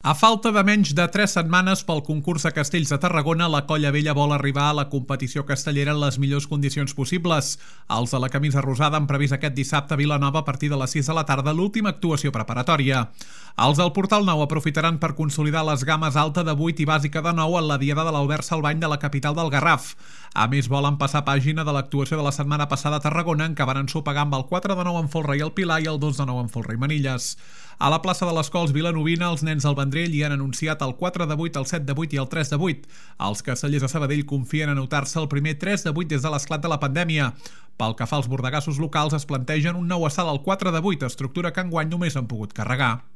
A falta de menys de 3 setmanes pel concurs de Castells de Tarragona, la Colla Vella vol arribar a la competició castellera en les millors condicions possibles. Els de la camisa rosada han previst aquest dissabte a Vilanova a partir de les 6 de la tarda l'última actuació preparatòria. Els del Portal Nou aprofitaran per consolidar les games alta de 8 i bàsica de 9 en la diada de l'Albert Salvany de la capital del Garraf. A més, volen passar pàgina de l'actuació de la setmana passada a Tarragona, en què van ensopegar amb el 4 de 9 en Folre i el Pilar i el 2 de 9 en Folre i Manilles. A la plaça de les Cols vilanovina, els nens del Vendrell hi han anunciat el 4 de 8, el 7 de 8 i el 3 de 8. Els castellers de Sabadell confien en anotar-se el primer 3 de 8 des de l'esclat de la pandèmia. Pel que fa als bordegassos locals, es plantegen un nou assalt al 4 de 8, estructura que enguany només han pogut carregar.